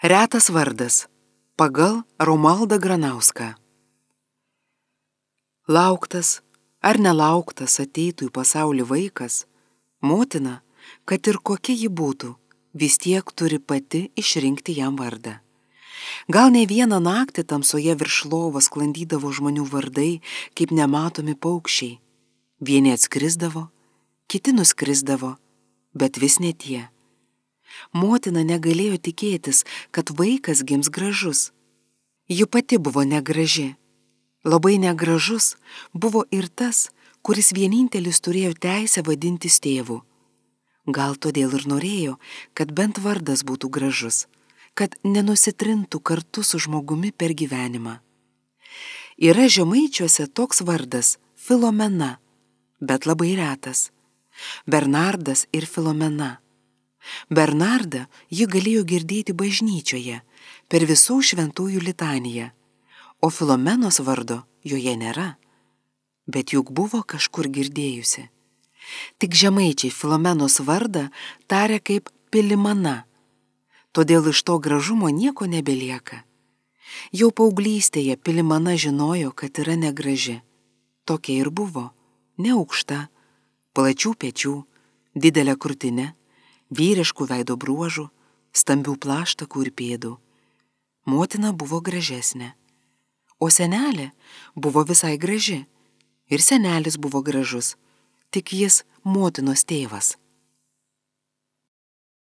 Retas vardas pagal Romualdą Granauską. Lauktas ar nelauktas ateitų į pasaulį vaikas, motina, kad ir kokia ji būtų, vis tiek turi pati išrinkti jam vardą. Gal ne vieną naktį tamsoje virš lovos sklandydavo žmonių vardai, kaip nematomi paukščiai. Vieni atskrisdavo, kiti nuskrisdavo, bet vis ne tie. Motina negalėjo tikėtis, kad vaikas gims gražus. Ji pati buvo negraži. Labai negražus buvo ir tas, kuris vienintelis turėjo teisę vadintis tėvu. Gal todėl ir norėjo, kad bent vardas būtų gražus, kad nenusitrintų kartu su žmogumi per gyvenimą. Yra žemaičiuose toks vardas Filomena, bet labai retas. Bernardas ir Filomena. Bernardą ji galėjo girdėti bažnyčioje, per visų šventųjų litaniją, o Filomenos vardo joje nėra, bet juk buvo kažkur girdėjusi. Tik žemaičiai Filomenos vardą taria kaip Pilimana, todėl iš to gražumo nieko nebelieka. Jau paauglystėje Pilimana žinojo, kad yra negraži. Tokia ir buvo, neaukšta, plačių pečių, didelė krūtinė, vyriškų veido bruožų, stambių plaštakų ir pėdų. Motina buvo gražesnė, o senelė buvo visai graži, ir senelis buvo gražus, tik jis motinos tėvas.